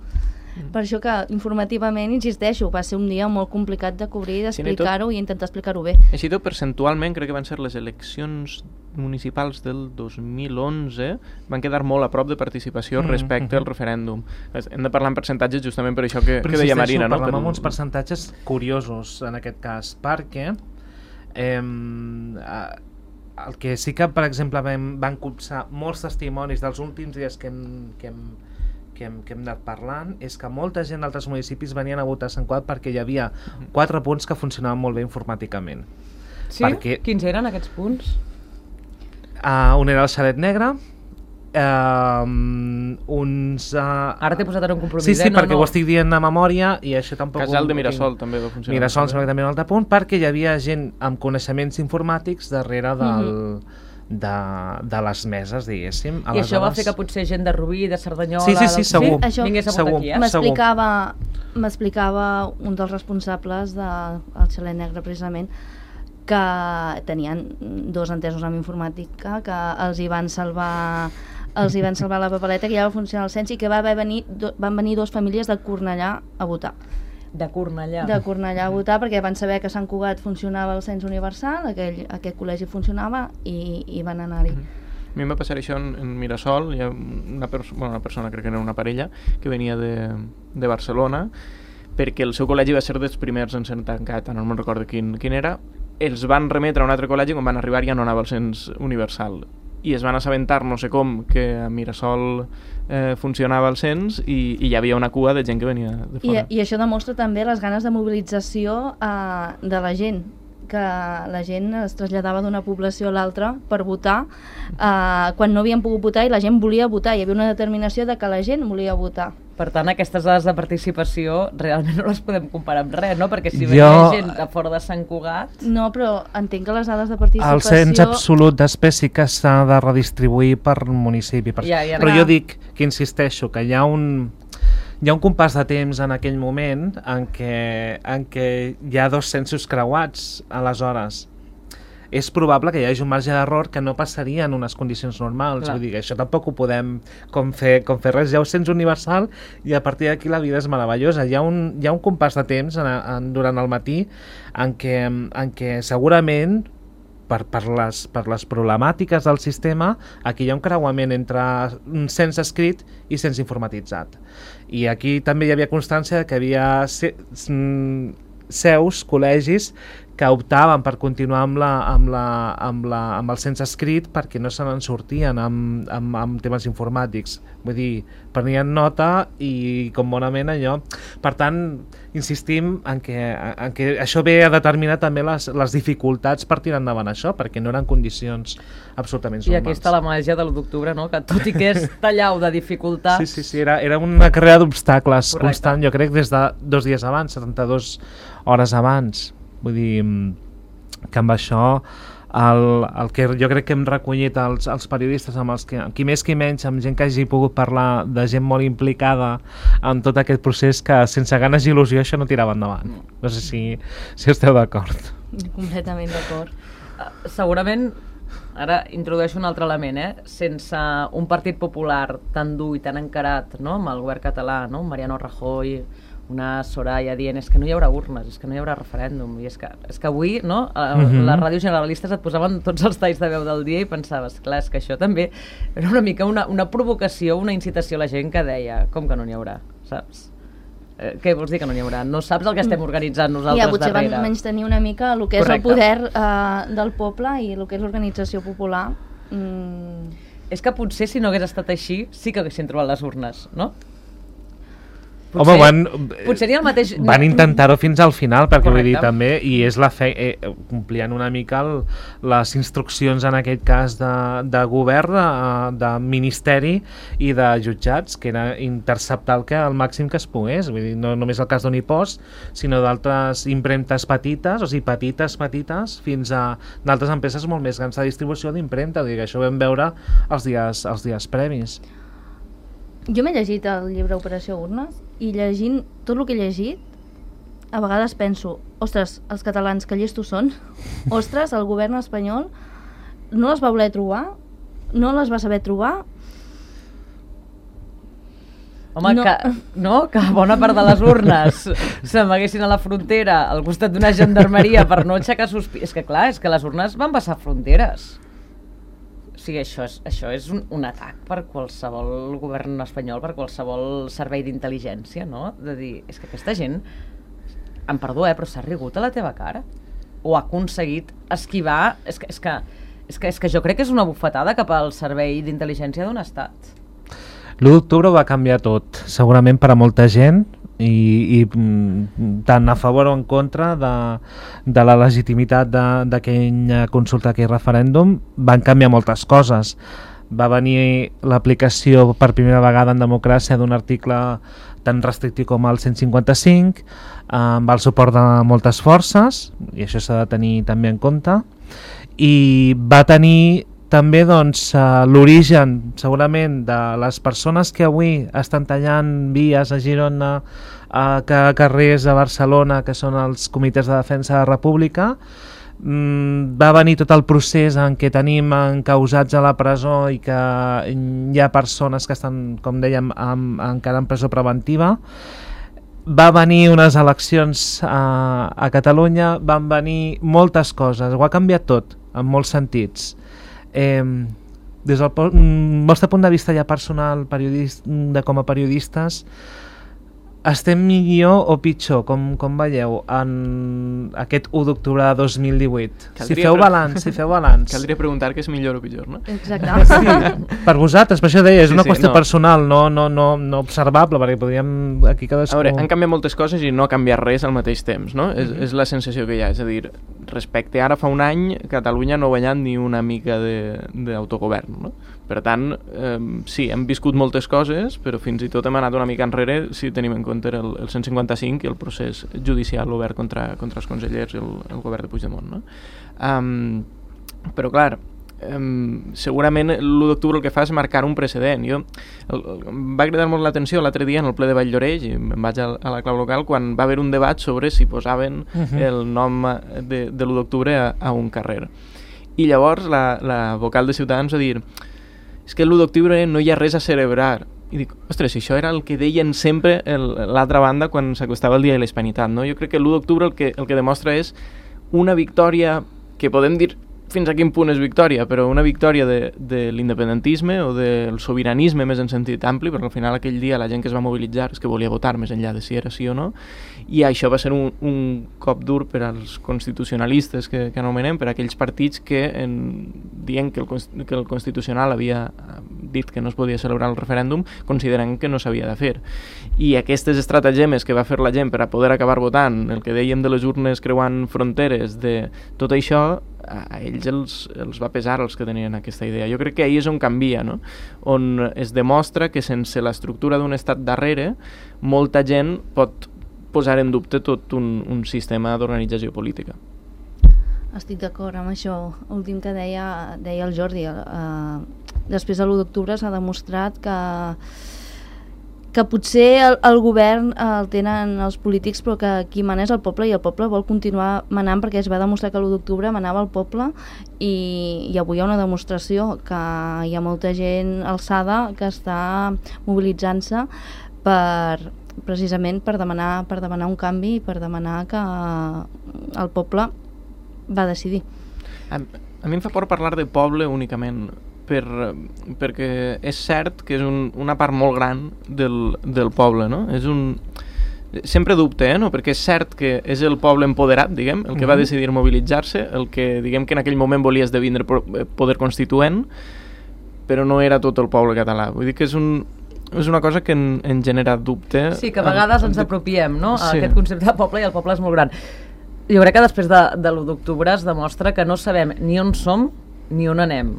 Speaker 3: Per això que informativament, insisteixo, va ser un dia molt complicat de cobrir,
Speaker 5: Sí, no, i tot-
Speaker 3: d'explicar-ho i intentar explicar-ho bé.
Speaker 5: Així tot, percentualment, crec que van ser les eleccions municipals del dos mil onze, van quedar molt a prop de participació
Speaker 2: Mm,
Speaker 5: respecte
Speaker 2: mhm.
Speaker 5: al referèndum. Hem de parlar en percentatges justament per això que,
Speaker 2: Però
Speaker 5: que deia
Speaker 2: insisteixo,
Speaker 5: Marina, no?
Speaker 2: parlem
Speaker 5: Per-
Speaker 2: amb uns percentatges curiosos en aquest cas, perquè eh, el que sí que, per exemple, vam, van copsar molts testimonis dels últims dies que hem, que hem, que hem, que hem anat parlant, és que molta gent d'altres municipis venien a votar a Sant Cugat perquè hi havia quatre punts que funcionaven molt bé informàticament.
Speaker 4: sí?
Speaker 2: Perquè-
Speaker 4: Quins eren aquests punts?
Speaker 2: Uh, un era el xalet negre, uh, uns... Uh,
Speaker 4: Ara t'he posat en un compromís,
Speaker 2: Sí, sí,
Speaker 4: eh? No,
Speaker 2: perquè
Speaker 4: no.
Speaker 2: ho estic dient a memòria i això tampoc...
Speaker 5: Casal
Speaker 2: ho-
Speaker 5: de Mirasol també va funcionar.
Speaker 2: Mirasol em sembla que també un altre punt, perquè hi havia gent amb coneixements informàtics darrere del, de, de les meses, diguéssim.
Speaker 4: I això va fer que potser gent de Rubí, de Cerdanyola...
Speaker 2: Sí, sí, sí,
Speaker 4: del-
Speaker 2: segur.
Speaker 3: Sí, això-
Speaker 4: vingués a votar
Speaker 2: segur.
Speaker 4: aquí, eh?
Speaker 3: M'explicava m'explicava un dels responsables del xalet negre, precisament, que tenien dos entesos en informàtica, que els hi van salvar els hi van salvar la papeleta, que ja va funcionar el cens i que va haver venir, do, van venir dues famílies de Cornellà a votar.
Speaker 4: De Cornellà.
Speaker 3: De Cornellà a votar perquè van saber que a Sant Cugat funcionava el cens universal, aquell, aquest col·legi funcionava i, i van anar-hi.
Speaker 5: A mi em va passar això en, en Mirasol, hi ha una, perso bueno, una persona, crec que era una parella, que venia de, de Barcelona, perquè el seu col·legi va ser dels primers en ser tancat, no me'n recordo quin, quin era, els van remetre a un altre col·legi, quan van arribar ja no anava al cens universal, i es van assabentar, no sé com, que a Mirasol eh, funcionava el cens i, i hi havia una cua de gent que venia de
Speaker 3: I,
Speaker 5: fora.
Speaker 3: I això demostra també les ganes de mobilització eh, de la gent, que la gent es traslladava d'una població a l'altra per votar eh, quan no havien pogut votar i la gent volia votar, hi havia una determinació de que la gent volia votar.
Speaker 4: Per tant, aquestes dades de participació realment no les podem comparar amb res, no? Perquè si
Speaker 2: Jo-
Speaker 4: venia gent de fora de Sant Cugat...
Speaker 3: No, però entenc que les dades de participació...
Speaker 2: El cens absolut d'espècie que s'ha de redistribuir per municipi. Per...
Speaker 4: Ja, ja,
Speaker 2: Però
Speaker 3: clar.
Speaker 2: jo dic que insisteixo que hi ha un... Hi ha un compàs de temps en aquell moment en què, en què hi ha dos censos creuats, aleshores. És probable que hi hagi un marge d'error que no passaria en unes condicions normals.
Speaker 4: Clar.
Speaker 2: Vull dir que això tampoc ho podem com fer, com fer res. Hi ha un cens universal i a partir d'aquí la vida és meravellosa. Hi ha un, hi ha un compàs de temps en, en, durant el matí en què, en què segurament per, per, les, per les problemàtiques del sistema aquí hi ha un creuament entre un cens escrit i cens informatitzat. I aquí també hi havia constància que hi havia se, seus, col·legis que optaven per continuar amb, la, amb, la, amb, la, amb el cens escrit perquè no se n'en sortien amb, amb, amb temes informàtics. Vull dir, prenien nota i com bonament allò. Per tant, insistim en que, en que això ve a determinar també les, les dificultats per tirar endavant això, perquè no eren condicions absolutament
Speaker 4: I
Speaker 2: normals.
Speaker 4: aquí està la màgia de l'u d'octubre, no? Que tot i que és tallau de dificultats...
Speaker 2: Sí, sí, sí, era, era una carrera d'obstacles
Speaker 4: Correcte.
Speaker 2: constant, jo crec, des de dos dies abans, setanta-dues hores abans. Vull dir que amb això el, el que jo crec que hem recollit els, els periodistes, amb els que, qui més qui menys, amb gent que hagi pogut parlar, de gent molt implicada en tot aquest procés, que sense ganes i il·lusió això no tirava endavant. No sé si, si esteu d'acord.
Speaker 3: Completament d'acord.
Speaker 4: Uh, segurament, ara introdueixo un altre element, eh? Sense un partit popular tan dur i tan encarat, no?, amb el govern català, no?, Mariano Rajoy, una Soraya dient és que no hi haurà urnes, és que no hi haurà referèndum, i és que, és que avui, no?, uh, uh-huh. les ràdios generalistes et posaven tots els talls de veu del dia i pensaves, clar, és que això també era una mica una, una provocació, una incitació a la gent que deia, com que no n'hi haurà, saps? Eh, què vols dir que no n'hi haurà? No saps el que estem organitzant nosaltres
Speaker 3: ja, potser
Speaker 4: darrere.
Speaker 3: Potser van menys tenir una mica el que és Correcte. El poder uh, del poble i el que és l'organització popular. Mm.
Speaker 4: És que potser si no hagués estat així sí que haguessin trobat les urnes, no?
Speaker 2: Potser, Home, van,
Speaker 4: potser ni el mateix...
Speaker 2: van intentar-ho fins al final, perquè
Speaker 4: Correcte.
Speaker 2: Vull dir també, i és la fe, eh, complien una mica el, les instruccions en aquest cas de, de govern, de, de ministeri i de jutjats, que era interceptar el, que, el màxim que es pogués, vull dir, no només el cas d'Unipost, sinó d'altres impremtes petites, o sigui, petites, petites, fins a d'altres empreses molt més grans de distribució d'impremta, vull dir que això ho vam veure els dies, els dies previs.
Speaker 3: Jo m'he llegit el llibre Operació Urnes i llegint tot el que he llegit a vegades penso, ostres, els catalans que llestos són, ostres, el govern espanyol no les va voler trobar, no les va saber trobar.
Speaker 4: Home, no. Que, no? Que bona part de les urnes s'amaguessin a la frontera al costat d'una gendarmeria per no aixecar sospites. És que clar, és que les urnes van passar fronteres. O sigui, això és, això és un, un atac per qualsevol govern espanyol, per qualsevol servei d'intel·ligència, no? De dir, és que aquesta gent, em perdó, eh, però s'ha rigut a la teva cara? O ha aconseguit esquivar... És que, és que, és que, és que jo crec que és una bufetada cap al servei d'intel·ligència d'un estat.
Speaker 2: l'u d'octubre va canviar tot, segurament per a molta gent, i, i tant a favor o en contra de, de la legitimitat d'aquella consulta, aquell referèndum. Van canviar moltes coses. Va venir l'aplicació per primera vegada en democràcia d'un article tan restrictiu com el cent cinquanta-cinc, amb el suport de moltes forces, i això s'ha de tenir també en compte, i va tenir també doncs, l'origen segurament de les persones que avui estan tallant vies a Girona, a carrers a Barcelona, que són els comitès de defensa de la República. Mm, va venir tot el procés en què tenim encausats a la presó i que hi ha persones que estan, com dèiem, amb, encara en presó preventiva. Va venir unes eleccions a, a Catalunya, van venir moltes coses, ho ha canviat tot, en molts sentits. Eh, des del vostre punt de vista ja personal, de com a periodistes, estem millor o pitjor, com, com veieu, en aquest u d'octubre de dos mil divuit? Si feu balanç, si feu balanç.
Speaker 5: Caldria preguntar què és millor o pitjor, no?
Speaker 3: Exacte.
Speaker 2: Sí, per vosaltres, per això deia, és
Speaker 5: sí,
Speaker 2: una
Speaker 5: sí,
Speaker 2: qüestió
Speaker 5: no.
Speaker 2: personal, no, no, no, no observable, perquè podríem aquí cadascú...
Speaker 5: A veure, han canviat moltes coses i no ha canviat res al mateix temps, no? Mm-hmm. és, és la sensació que hi ha, és a dir, respecte ara fa un any, Catalunya no ha guanyat ni una mica d'autogovern, no? Per tant, eh, sí, hem viscut moltes coses, però fins i tot hem anat una mica enrere si tenim en compte el, el cent cinquanta-cinc i el procés judicial obert contra, contra els consellers i el, el govern de Puigdemont, no? Um, però clar, um, segurament l'u d'octubre el que fa és marcar un precedent. Jo, el, el, em va cridar molt l'atenció l'altre dia en el ple de Vall-lloreix, i em vaig a, a la clau local, quan va haver un debat sobre si posaven uh-huh. el nom de, de l'u d'octubre a, a un carrer. I llavors la, la vocal de Ciutadans va dir: és que l'u d'octubre no hi ha res a celebrar. I dic, ostres, això era el que deien sempre l'altra banda quan s'acostava el dia de la Hispanitat, no? Jo crec que l'u d'octubre el que, el que demostra és una victòria que podem dir fins a quin punt és victòria, però una victòria de, de l'independentisme o del sobiranisme més en sentit ampli, perquè al final aquell dia la gent que es va mobilitzar és que volia votar més enllà de si era sí o no, i això va ser un, un cop dur per als constitucionalistes que, que anomenem, per aquells partits que en, dient que el, que el Constitucional havia dit que no es podia celebrar el referèndum, considerant que no s'havia de fer. I aquestes estratagemes que va fer la gent per a poder acabar votant, el que dèiem de les urnes creuant fronteres, de tot això, a ells els, els va pesar els que tenien aquesta idea. Jo crec que ahir és on canvia, no? On es demostra que sense l'estructura d'un estat darrere, molta gent pot posar en dubte tot un, un sistema d'organització política.
Speaker 3: Estic d'acord amb això últim que deia, deia el Jordi. Uh, després de l'u d'octubre s'ha demostrat que que potser el, el govern el tenen els polítics, però que qui mana és el poble, i el poble vol continuar manant, perquè es va demostrar que l'u d'octubre manava el poble, i, i avui hi ha una demostració que hi ha molta gent alçada que està mobilitzant-se per, precisament per demanar, per demanar un canvi, per demanar que el poble va decidir.
Speaker 5: A, a mi em fa por parlar de poble únicament, per, perquè és cert que és un, una part molt gran del, del poble, no? És un... Sempre dubte, eh, no? Perquè és cert que és el poble empoderat, diguem, el que uh-huh. va decidir mobilitzar-se, el que, diguem, que en aquell moment volia esdevindre poder constituent, però no era tot el poble català. Vull dir que és un... és una cosa que en, en genera dubte.
Speaker 4: Sí, que a vegades ens apropiem, no?, a
Speaker 5: sí.
Speaker 4: aquest concepte de poble, i el poble és molt gran. Jo crec que després de, de l'u d'octubre es demostra que no sabem ni on som ni on anem.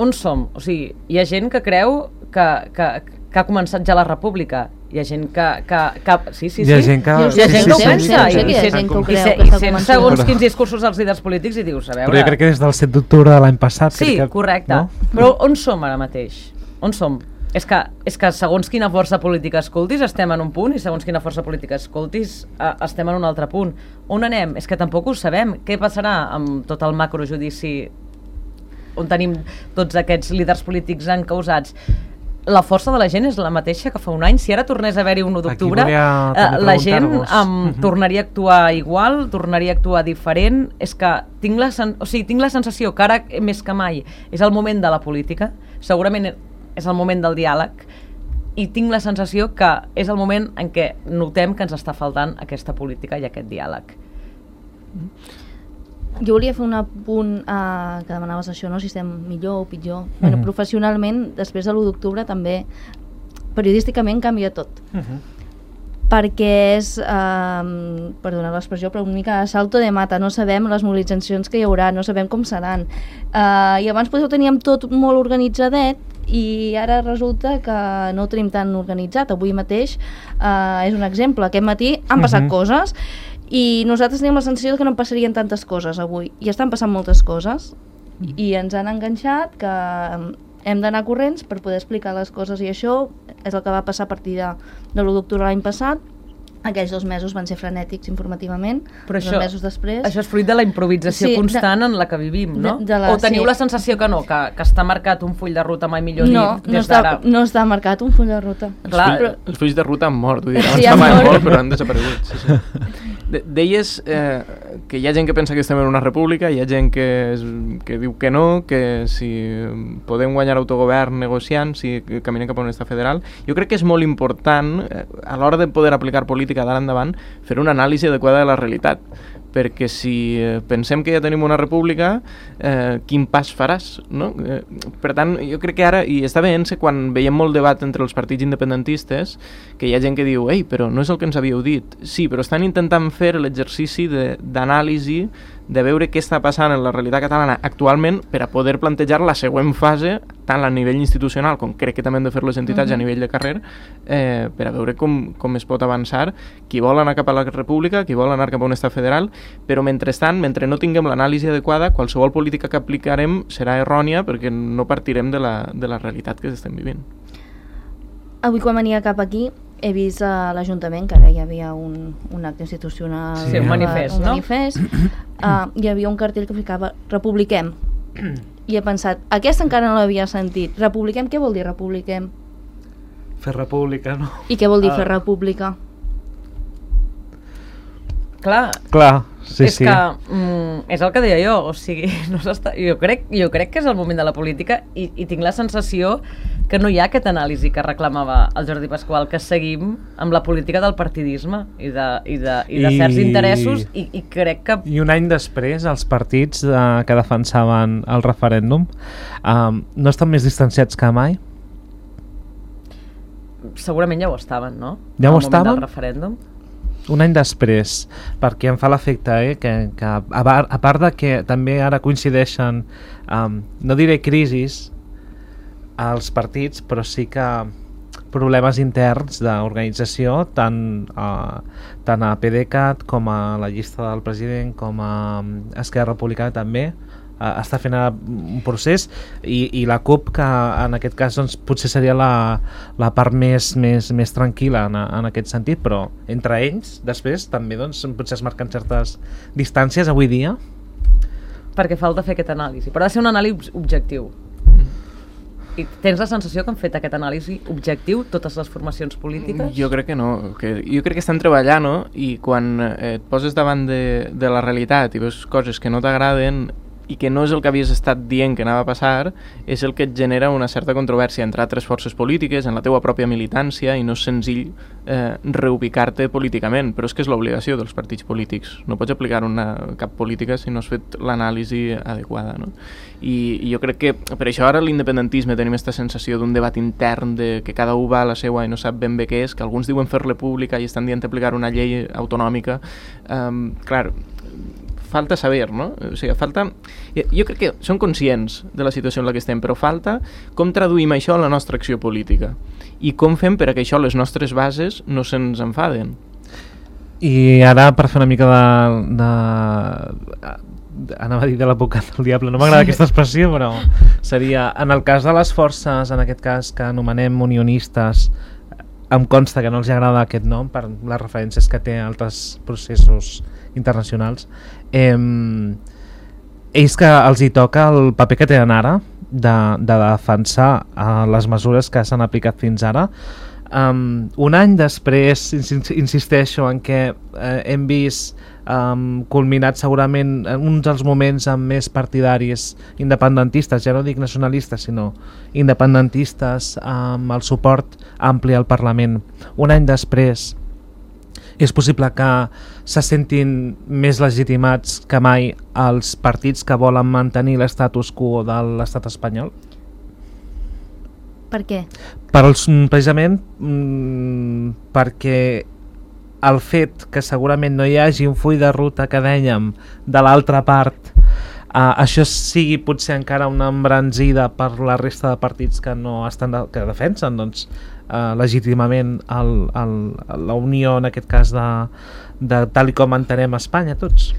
Speaker 4: On som? O sigui, hi ha gent que creu que, que, que ha començat ja la república. Hi ha gent que... que, que sí, sí, sí.
Speaker 2: Hi ha gent que...
Speaker 3: Hi ha gent que ho pensa,
Speaker 4: i
Speaker 3: hi ha gent que ho creu,
Speaker 4: I
Speaker 3: que s'ha
Speaker 4: sent
Speaker 3: començat.
Speaker 4: segons quins discursos dels líders polítics i dius, a veure...
Speaker 2: Però jo crec que des del set d'octubre de l'any passat...
Speaker 4: Sí,
Speaker 2: crec que,
Speaker 4: correcte.
Speaker 2: No?
Speaker 4: Però on som ara mateix? On som? És que, és que segons quina força política escoltis estem en un punt, i segons quina força política escoltis eh, estem en un altre punt. On anem? És que tampoc ho sabem. Què passarà amb tot el macrojudici on tenim tots aquests líders polítics encausats? La força de la gent és la mateixa que fa un any. Si ara tornés a haver-hi un u d'octubre, eh, la gent um, tornaria a actuar igual, tornaria a actuar diferent. És que tinc la, sen o sigui, tinc la sensació que ara, més que mai, és el moment de la política, segurament és el moment del diàleg, i tinc la sensació que és el moment en què notem que ens està faltant aquesta política i aquest diàleg.
Speaker 3: Jo volia fer un apunt eh, que demanaves això, no? Si estem millor o pitjor. Mm-hmm. Bueno, professionalment, després de l'u d'octubre també periodísticament canvia tot. Mm-hmm. Perquè és, eh, perdona l'expressió, però una mica salto de mata. No sabem les mobilitzacions que hi haurà, no sabem com seran. Eh, I abans potser ho teníem tot molt organitzadet, i ara resulta que no ho tenim tan organitzat. Avui mateix eh, és un exemple. Aquest matí han passat mm-hmm. coses, i nosaltres tenim la sensació que no passarien tantes coses avui, i estan passant moltes coses, mm. i ens han enganxat que hem d'anar corrents per poder explicar les coses, i això és el que va passar a partir de, de l'u d'octubre l'any passat. Aquells dos mesos van ser frenètics informativament, però això, dos mesos després...
Speaker 4: Això és fruit de la improvisació sí, constant de, en la que vivim, no? De, de la, o teniu sí. la sensació que no, que, que està marcat un full de ruta mai millor
Speaker 3: no,
Speaker 4: dit des
Speaker 3: no està,
Speaker 4: d'ara?
Speaker 3: No està marcat un full de ruta.
Speaker 5: Els, Clar, full, els fulls de ruta han mort, vull dir,
Speaker 3: sí,
Speaker 5: abans estaven molt, però han desaparegut. Sí, sí. De, deies eh, que hi ha gent que pensa que estem en una república, hi ha gent que, és, que diu que no, que si podem guanyar autogovern negociant, si caminem cap a un estat federal. Jo crec que és molt important, eh, a l'hora de poder aplicar política d'ara endavant, fer una anàlisi adequada de la realitat, perquè si eh, pensem que ja tenim una república, eh, quin pas faràs, no? Eh, per tant, jo crec que ara, i està veient-se quan veiem molt debat entre els partits independentistes, que hi ha gent que diu, ei, però no és el que ens havíeu dit. Sí, però estan intentant fer l'exercici d'anàlisi, de veure què està passant en la realitat catalana actualment per a poder plantejar la següent fase, tant a nivell institucional com crec que també han de fer les entitats uh-huh. a nivell de carrer, eh, per a veure com, com es pot avançar, qui vol anar cap a la república, qui vol anar cap a un estat federal, però mentrestant, mentre no tinguem l'anàlisi adequada, qualsevol política que aplicarem serà errònia perquè no partirem de la, de la realitat que estem vivint.
Speaker 3: Avui quan venia cap aquí he vist a l'Ajuntament que ara hi havia un, un acte institucional,
Speaker 4: sí, un manifest,
Speaker 3: un
Speaker 4: no?
Speaker 3: manifest. Uh, hi havia un cartell que ficava republiquem, i he pensat, aquesta encara no l'havia sentit. Republiquem, què vol dir republiquem?
Speaker 2: Fer república, no?
Speaker 3: I què vol dir
Speaker 2: uh.
Speaker 3: fer república?
Speaker 4: Clar,
Speaker 2: Clar sí,
Speaker 4: és
Speaker 2: sí.
Speaker 4: que mm, és el que deia jo, o sigui, no s'està, jo, crec, jo crec que és el moment de la política, i, i tinc la sensació que no hi ha aquesta anàlisi que reclamava el Jordi Pasqual, que seguim amb la política del partidisme i de, i de, i de
Speaker 2: I...
Speaker 4: certs interessos, i, i crec que...
Speaker 2: I un any després, els partits eh, que defensaven el referèndum eh, no estan més distanciats que mai?
Speaker 4: Segurament ja ho estaven, no?
Speaker 2: Ja ho
Speaker 4: Al
Speaker 2: estaven?
Speaker 4: moment del referèndum.
Speaker 2: Un any després, perquè em fa l'efecte eh, que, que a, bar, a part de que també ara coincideixen, um, no diré crisis, als partits, però sí que problemes interns d'organització tant a, tant a PDeCAT com a la llista del president com a Esquerra Republicana també està fent un procés i, i la CUP, que en aquest cas doncs, potser seria la, la part més, més, més tranquil·la en, en aquest sentit, però entre ells després també doncs, potser es marquen certes distàncies avui dia.
Speaker 4: Perquè falta fer aquest anàlisi, però ha de ser un anàlisi objectiu. I tens la sensació que han fet aquest anàlisi objectiu totes les formacions polítiques?
Speaker 5: Jo crec que no, que, jo crec que estan treballant, no? I quan eh, et poses davant de, de la realitat i veus coses que no t'agraden i que no és el que havies estat dient que anava a passar, és el que et genera una certa controvèrsia entre altres forces polítiques, en la teua pròpia militància, i no és senzill eh, reubicar-te políticament, però és que és l'obligació dels partits polítics. No pots aplicar una cap política si no has fet l'anàlisi adequada, no? I, I jo crec que per això ara l'independentisme tenim aquesta sensació d'un debat intern de que cada un va a la seua i no sap ben bé què és, que alguns diuen fer-la pública i estan dient aplicar una llei autonòmica. Um, clar, falta saber, no? O sigui, falta... Jo crec que som conscients de la situació en la que estem, però falta com traduïm això a la nostra acció política i com fem per a que això, les nostres bases, no se'ns enfaden.
Speaker 2: I ara, per fer una mica de... de... anava a dir de l'advocat del diable, no m'agrada sí. aquesta expressió, però seria, en el cas de les forces, en aquest cas que anomenem unionistes, em consta que no els agrada aquest nom per les referències que té a altres processos internacionals, eh, ells que els hi toca el paper que tenen ara de, de defensar eh, les mesures que s'han aplicat fins ara. Um, un any després, insisteixo en què eh, hem vist um, culminat segurament en uns dels moments amb més partidaris independentistes, ja no dic nacionalistes sinó independentistes, amb el suport ampli al Parlament. Un any després és possible que se sentin més legitimats que mai els partits que volen mantenir l'estatus quo de l'estat espanyol?
Speaker 3: Per què?
Speaker 2: Per els, precisament mmm, perquè el fet que segurament no hi hagi un full de ruta que dèiem de l'altra part, eh, això sigui potser encara una embranzida per la resta de partits que no estan de, que defensen doncs, eh, legítimament el, el, la unió en aquest cas de, de tal i com entenem Espanya tots.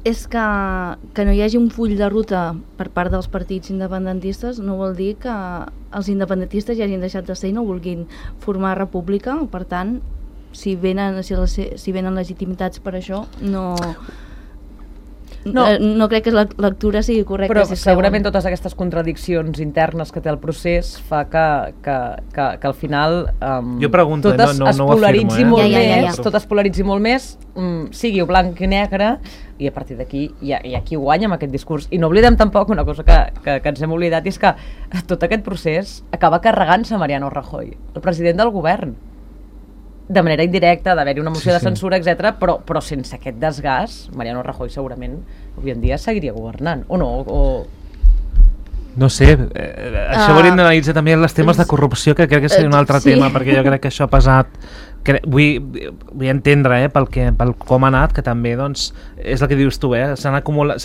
Speaker 3: És que, que no hi hagi un full de ruta per part dels partits independentistes no vol dir que els independentistes ja hagin deixat de ser i no vulguin formar república, per tant si venen, si, les, si venen legitimitats per això no... No, no crec que la lectura sigui correcta.
Speaker 4: Però
Speaker 3: si
Speaker 4: segurament totes aquestes contradiccions internes que té el procés fa que, que, que, que al final um,
Speaker 2: jo pregunto,
Speaker 4: totes
Speaker 2: no, no,
Speaker 4: es
Speaker 2: no
Speaker 4: polaritzi
Speaker 2: afirmo, eh?
Speaker 4: molt
Speaker 3: ja, ja, ja, ja.
Speaker 4: més, tot es polaritzi molt més, um, sigui blanc i negre, i a partir d'aquí hi, hi ha qui guanya amb aquest discurs. I no oblidem tampoc una cosa que, que, que ens hem oblidat, és que tot aquest procés acaba carregant-se Mariano Rajoy, el president del govern, de manera indirecta, d'haver-hi una moció sí, sí. de censura, etcètera, però, però sense aquest desgast, Mariano Rajoy segurament avui en dia seguiria governant, o no? O...
Speaker 2: No sé, eh, això uh, hauríem d'analitzar també els temes de corrupció, que crec que seria un altre sí. tema, perquè jo crec que això ha pesat, que, vull, vull entendre eh, pel, que, pel com ha anat, que també doncs, és el que dius tu, eh, se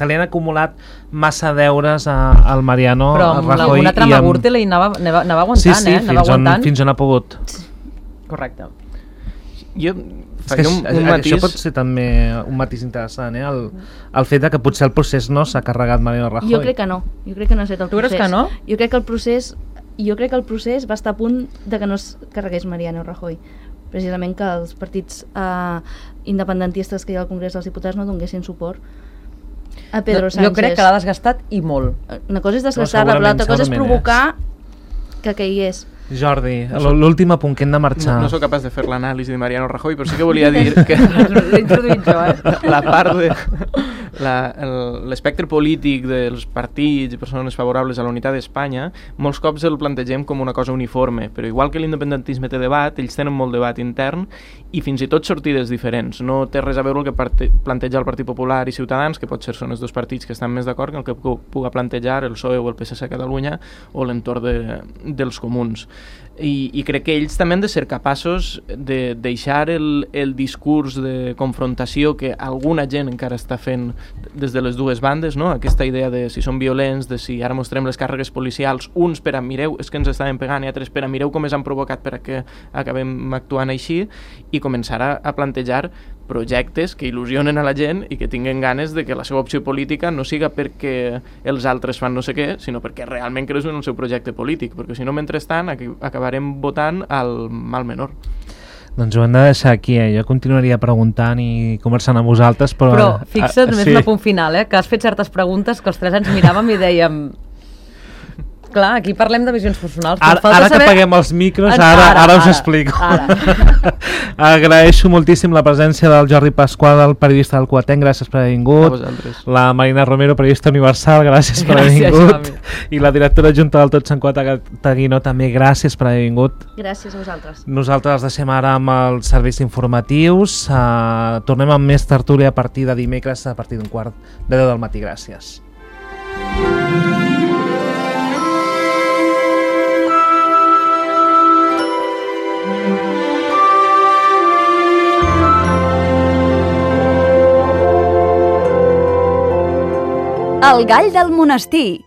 Speaker 2: li han acumulat massa deures a, al Mariano
Speaker 4: però
Speaker 2: a Rajoy.
Speaker 4: Però amb alguna trama Gürtel anava, anava, anava aguantant,
Speaker 2: sí, sí,
Speaker 4: eh? Anava
Speaker 2: fins,
Speaker 4: aguantant.
Speaker 2: On, fins on ha pogut.
Speaker 4: Correcte.
Speaker 5: Jo
Speaker 2: faria un, un matís... Això pot ser també un matís interessant, eh? el, el fet de que potser el procés no s'ha carregat Mariano Rajoy.
Speaker 3: Jo crec que no, jo crec que no ha estat el
Speaker 4: procés. Tu creus que no?
Speaker 3: Jo crec que el procés, jo crec que el procés va estar a punt de que no es carregués Mariano Rajoy, precisament que els partits eh, independentistes que hi ha al Congrés dels Diputats no donguessin suport a Pedro Sánchez.
Speaker 4: Jo crec que l'ha desgastat i molt.
Speaker 3: Una cosa és desgastar-la, no, l'altra cosa és provocar que caigués.
Speaker 2: Jordi, l'últim apunt que hem de marxar.
Speaker 5: No, no sóc capaç de fer l'anàlisi de Mariano Rajoy, però sí que volia dir que
Speaker 4: l'he introduït jo, eh?
Speaker 5: la part de l'espectre polític dels partits i persones favorables a la unitat d'Espanya, molts cops el plantegem com una cosa uniforme, però igual que l'independentisme té debat, ells tenen molt debat intern i fins i tot sortides diferents. No té res a veure el que parte, planteja el Partit Popular i Ciutadans, que potser són els dos partits que estan més d'acord, que el que puga plantejar el P S O E o el P S C a Catalunya o l'entorn de, dels comuns. I, i crec que ells també han de ser capaços de deixar el, el discurs de confrontació que alguna gent encara està fent des de les dues bandes, no? Aquesta idea de si són violents, de si ara mostrem les càrregues policials, uns per a mireu, és que ens estaven pegant, i altres per a mireu com ens han provocat per a que acabem actuant així, i començar a, a plantejar projectes que il·lusionen a la gent i que tinguen ganes de que la seva opció política no siga perquè els altres fan no sé què, sinó perquè realment creus en el seu projecte polític, perquè si no, mentrestant, acabarem votant al mal menor.
Speaker 2: Doncs ho hem de deixar aquí, eh? Jo continuaria preguntant i conversant amb vosaltres, però...
Speaker 4: Però fixa't,
Speaker 2: ah,
Speaker 4: només
Speaker 2: sí.
Speaker 4: un apunt final, eh? Que has fet certes preguntes que els tres ens miràvem i dèiem... Clar, aquí parlem de visions personals.
Speaker 2: Ara, ara
Speaker 4: saber...
Speaker 2: que apaguem els micros,
Speaker 4: ara,
Speaker 2: ara, ara, ara us
Speaker 4: ara,
Speaker 2: explico.
Speaker 4: Ara.
Speaker 2: Agraeixo moltíssim la presència del Jordi Pasqual, el periodista del Quatenc, gràcies per haver vingut.
Speaker 5: A vosaltres.
Speaker 2: La Marina Romero, periodista universal, gràcies per haver
Speaker 4: Gràcies,
Speaker 2: vingut.
Speaker 4: Xavi.
Speaker 2: I la directora adjunta del Tot Sant Quat Taguino, també gràcies per haver vingut.
Speaker 3: Gràcies a vosaltres.
Speaker 2: Nosaltres els deixem ara amb els serveis informatius. Uh, tornem amb més tertúlia a partir de dimecres, a partir d'un quart de deu del matí. Gràcies.
Speaker 6: El gall del monestir.